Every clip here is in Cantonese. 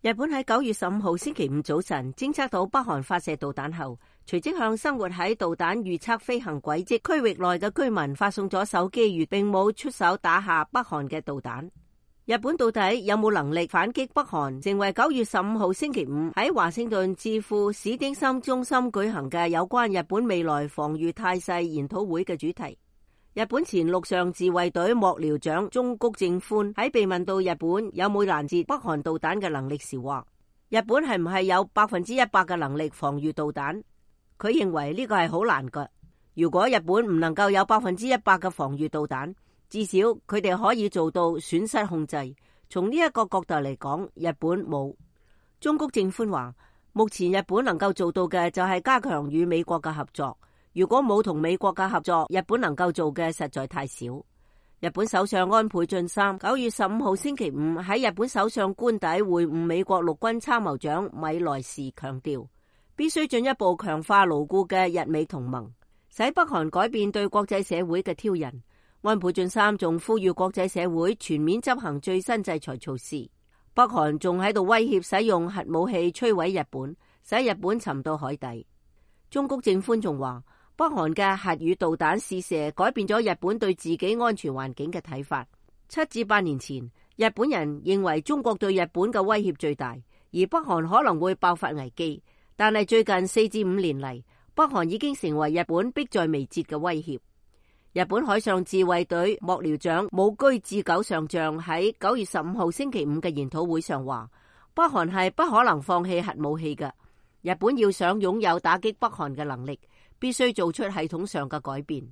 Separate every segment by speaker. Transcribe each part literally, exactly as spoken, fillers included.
Speaker 1: 日本喺九月十五號星期五早晨偵測到北韓發射導彈後，隨即向生活喺導彈預測飛行軌跡區域內嘅居民發送咗手機語，並冇出手打下北韓嘅導彈。日本到底有冇能力反擊北韓，成為九月十五號星期五喺華盛頓智庫史丁森中心舉行嘅有關日本未來防禦態勢研討會嘅主題。日本前陸上自衛隊幕僚長中谷正寬喺被問到日本有冇攔截北韓導彈嘅能力時話，日本係唔係有百分之一百嘅能力防禦導彈？佢認為呢個係好難㗎。如果日本唔能夠有百分之一百嘅防禦導彈，至少佢哋可以做到損失控制。從呢一個角度嚟講，日本冇。中谷正寬話，目前日本能夠做到嘅就係加強與美國嘅合作。如果冇同美國嘅合作，日本能夠做嘅實在太少。日本首相安倍晉三九月十五號星期五喺日本首相官邸會晤美國陸軍參謀長米萊時，強調必須進一步強化牢固嘅日美同盟，使北韓改變對國際社會嘅挑釁。安倍晉三仲呼籲國際社會全面執行最新制裁措施。北韓仲喺度威脅使用核武器摧毀日本，使日本沉到海底。中谷正寬仲話，北韓嘅核與導彈試射改變咗日本對自己安全環境嘅睇法。七至八年前，日本人認為中國對日本嘅威脅最大，而北韓可能會爆發危機。但係最近四至五年嚟，北韓已經成為日本迫在眉睫嘅威脅。日本海上自衛隊幕僚長武居智久上將喺九月十五號星期五嘅研討會上話，北韓係不可能放棄核武器嘅。日本要想擁有打擊北韓嘅能力，必須做出系統上嘅改變。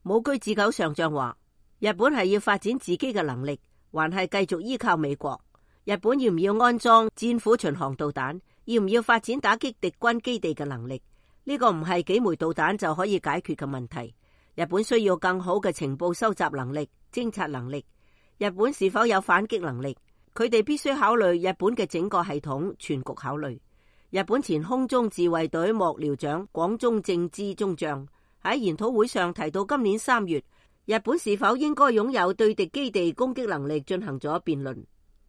Speaker 1: 武居智久上將話，日本係要發展自己嘅能力，還係繼續依靠美國？日本要唔要安裝戰斧巡航導彈？要唔要發展打擊敵軍基地嘅能力？呢個唔係幾枚導彈就可以解決嘅問題。日本需要更好嘅情報收集能力、偵察能力。日本是否有反擊能力？佢哋必須考慮日本嘅整個系統全局考慮。日本前空中自衛隊幕僚長廣中正之中將喺研討會上提到，今年三月日本是否應該擁有對敵基地攻擊能力進行咗辯論。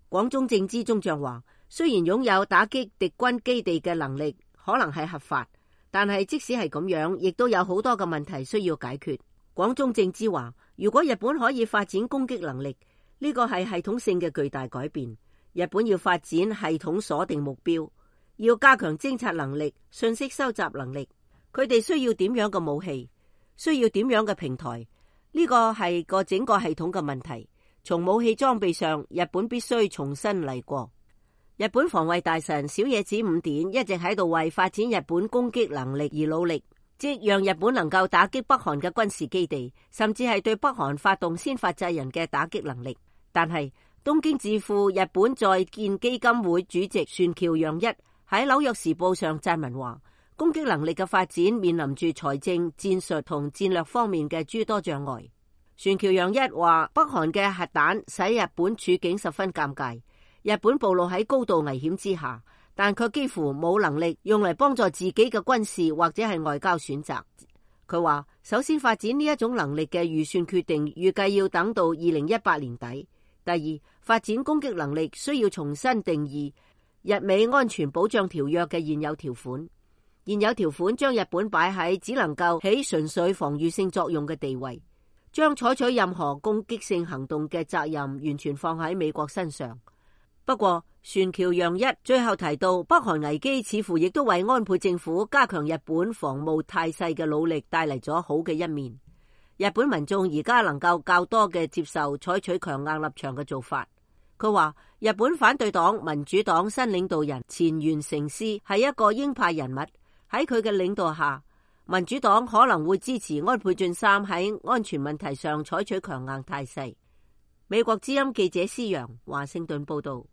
Speaker 1: 廣中正之中將話，雖然擁有打擊敵軍基地嘅能力可能係合法，但係即使係咁樣，亦都有好多嘅問題需要解決。廣中正之話，如果日本可以發展攻擊能力，呢個係系統性嘅巨大改變。日本要發展系統鎖定目標，要加強偵察能力、信息收集能力。佢哋需要點樣嘅武器？需要點樣嘅平台？呢個係個整個系統嘅問題。從武器裝備上，日本必須重新嚟過。日本防衛大臣小野寺五典一直喺度為發展日本攻擊能力而努力，即讓日本能夠打擊北韓嘅軍事基地，甚至係對北韓發動先發制人嘅打擊能力。但係東京智庫日本在建基金會主席船橋洋一喺紐約時報上撰文話，攻擊能力嘅發展面臨住財政、戰術同戰略方面嘅諸多障礙。船橋洋一話，北韓嘅核彈使日本處境十分尷尬。日本暴露喺高度危險之下，但卻幾乎冇能力用嚟幫助自己嘅軍事或者係外交選擇。佢話，首先發展呢一種能力嘅預算決定，預計要等到二零一八年底。第二，發展攻擊能力需要重新定義日美安全保障條約嘅現有條款。現有條款將日本擺喺只能夠起純粹防禦性作用嘅地位，將採取任何攻擊性行動嘅責任完全放喺美國身上。不過，船橋洋一最後提到，北韓危機似乎亦都為安倍政府加強日本防務態勢嘅努力帶嚟咗好嘅一面。日本民眾而家能夠較多嘅接受採取強硬立場嘅做法。佢話，日本反對黨民主黨新領導人前原誠司係一個鷹派人物，喺佢嘅領導下，民主黨可能會支持安倍晉三喺安全問題上採取強硬態勢。美國之音記者施洋華盛頓報道。